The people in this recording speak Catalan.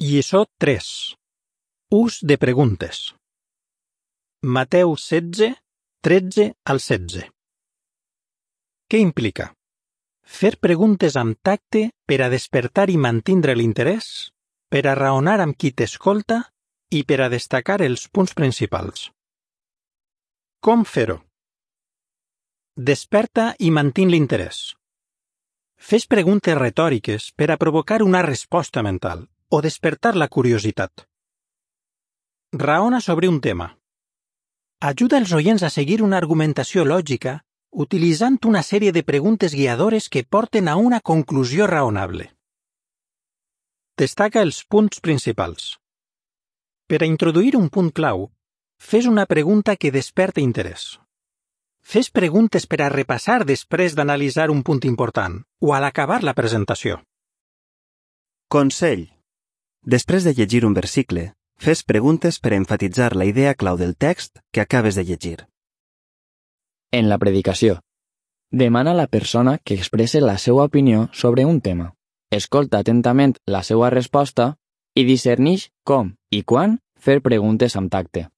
Lliçó 3. Ús de preguntes. Mateu 16, 13 al 16. Què implica? Fer preguntes amb tacte per a despertar i mantindre l'interès, per a raonar amb qui t'escolta i per a destacar els punts principals. Com fer-ho? Desperta i mantén l'interès. Fes preguntes retòriques per a provocar una resposta mental o despertar la curiositat. Raona sobre un tema. Ajuda els oients a seguir una argumentació lògica utilitzant una sèrie de preguntes guiadores que porten a una conclusió raonable. Destaca els punts principals. Per a introduir un punt clau, fes una pregunta que desperte interès. Fes preguntes per a repassar després d'analitzar un punt important o a l'acabar la presentació. Consell. Després de llegir un versicle, fes preguntes per a enfatitzar la idea clau del text que acabes de llegir. En la predicació, demana a la persona que expresse la seva opinió sobre un tema. Escolta atentament la seva resposta i discerneix com i quan fer preguntes amb tacte.